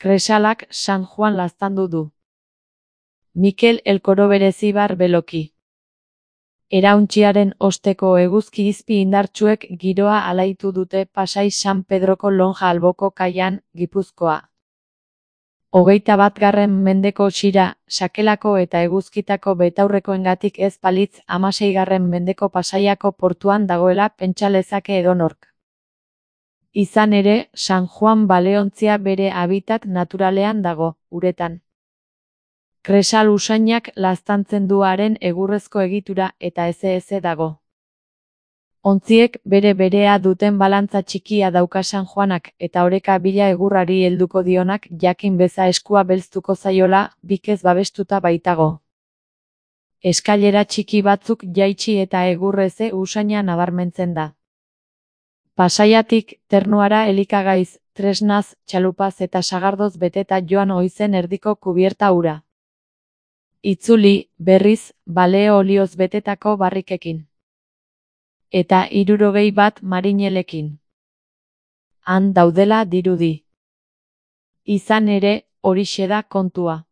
Kresalak San Juan laztandu du. Mikel Elkoro berezibar beloki. Erauntziaren osteko eguzki izpi indartsuek giroa alaitu dute Pasai San Pedroko lonja alboko kaian, Gipuzkoa. 21. mendeko txira, sakelako eta eguzkitako betaurrekoengatik ez balitz 16. mendeko Pasaiako portuan dagoela pentsa lezake edonork. Izan ere, San Juan baleontzia bere habitat naturalean dago, uretan. Kresal usainak laztantzen du haren egurrezko egitura eta eze dago. Ontziek bere-berea duten balantza txikia dauka San Juanak eta oreka bila egurrari helduko dionak jakin beza eskua belztuko zaiola, bikez babestuta baitago. Eskailera txiki batzuk jaitsi eta egurreze usaina nabarmentzen da. Pasaiatik, Ternuara elikagaiz, tresnaz, txalupaz eta sagardoz beteta joan oizen erdiko kubierta ura. Itzuli, berriz, baleo olioz betetako barrikekin. Eta 61 marinelekin. Han daudela dirudi. Izan ere, horixe da kontua.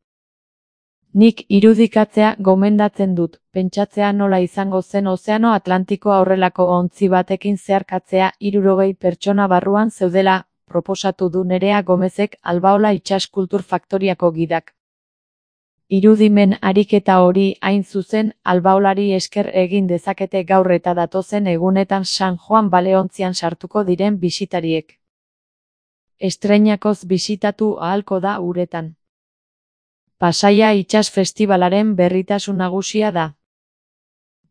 Nik irudikatzea gomendatzen dut, pentsatzea nola izango zen Ozeano Atlantikoa horrelako ontzi batekin zeharkatzea 60 pertsona barruan zeudela, proposatu du Nerea Gomezek Albaola itsas kultur faktoriako gidak. Irudimen ariketa hori hain zuzen Albaolari esker egin dezakete gaur eta datozen egunetan San Juan baleontzian sartuko diren bisitariek. Estreinakoz bisitatu ahalko da uretan. Pasaia itsas festibalaren berritasun nagusia da.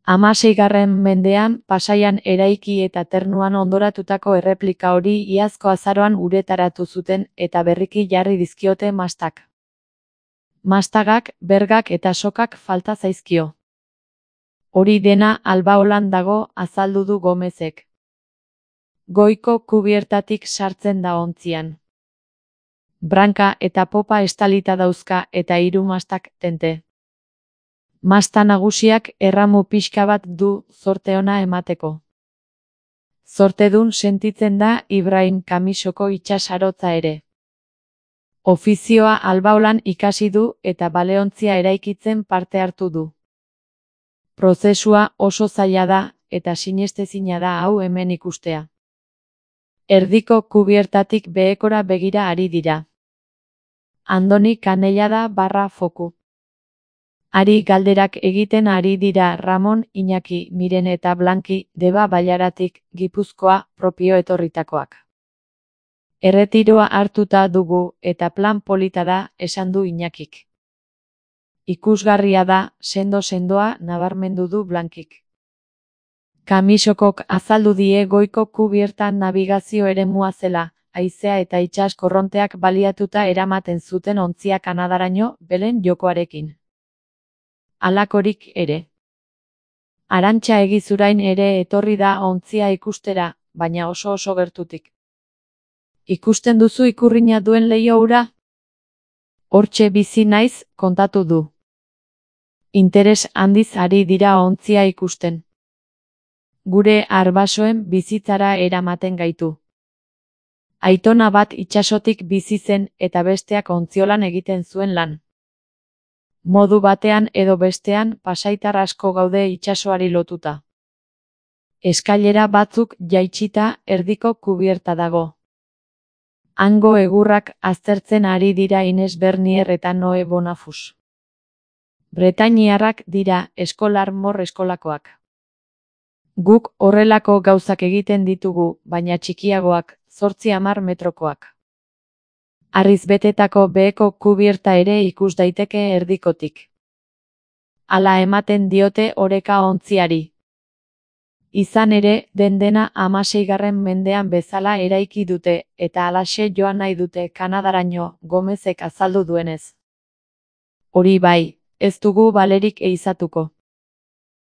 16. mendean Pasaian eraiki eta Ternuan ondoratutako erreplika hori iazko azaroan uretaratu zuten eta berriki jarri dizkiote mastak. Mastagak, bergak eta sokak falta zaizkio. Hori dena Albaolan dago, azaldu du Gomezek. Goiko kubiertatik sartzen da ontzian. Branka eta popa estalita dauzka eta 3 mastak tente. Masta nagusiak erramu pixka bat du zorte ona emateko. Zortedun sentitzen da Ibrahim Kamisoko itsasarotza ere. Ofizioa Albaolan ikasi du eta baleontzia eraikitzen parte hartu du. Prozesua oso zaila da eta sinestezina da hau hemen ikustea. Erdiko kubiertatik behekora begira ari dira. Andoni Kanellada /Foku. Ari galderak egiten ari dira Ramon, Iñaki, Miren eta Blanki, Deba Bailaratik, Gipuzkoa, propio etorritakoak. Erretiroa hartuta dugu eta plan polita da, esan du Iñakik. Ikusgarria da, sendoa nabarmendu du Blankik. Kamisokok azaldu die goiko kubiertan nabigazio eremua zela, haizea eta itsas korronteak baliatuta eramaten zuten ontzia Kanadaraino, Belen jokoarekin. Halakorik ere. Arantxa Egizurain ere etorri da ontzia ikustera, baina oso gertutik. Ikusten duzu ikurrina duen leiho hura? Hortxe bizi naiz, kontatu du. Interes handiz ari dira ontzia ikusten. Gure arbasoen bizitzara eramaten gaitu. Aitona bat itsasotik bizi zen eta besteak ontziolan egiten zuen lan. Modu batean edo bestean pasaitar asko gaude itsasoari lotuta. Eskailera batzuk jaitsita erdiko kubierta dago. Hango egurrak aztertzen ari dira Ines Bernier eta Noe Bonafus. Bretainiarrak dira eskolar mor eskolakoak. Guk horrelako gauzak egiten ditugu, baina txikiagoak, 8-10 metrokoak. Harriz betetako beheko kubierta ere ikus daiteke erdikotik. Hala ematen diote oreka ontziari. Izan ere, dena 16. mendean bezala eraiki dute, eta halaxe joan nahi dute Kanadaraino, Gomezek azaldu duenez. Hori bai, ez dugu balerik ehizatuko.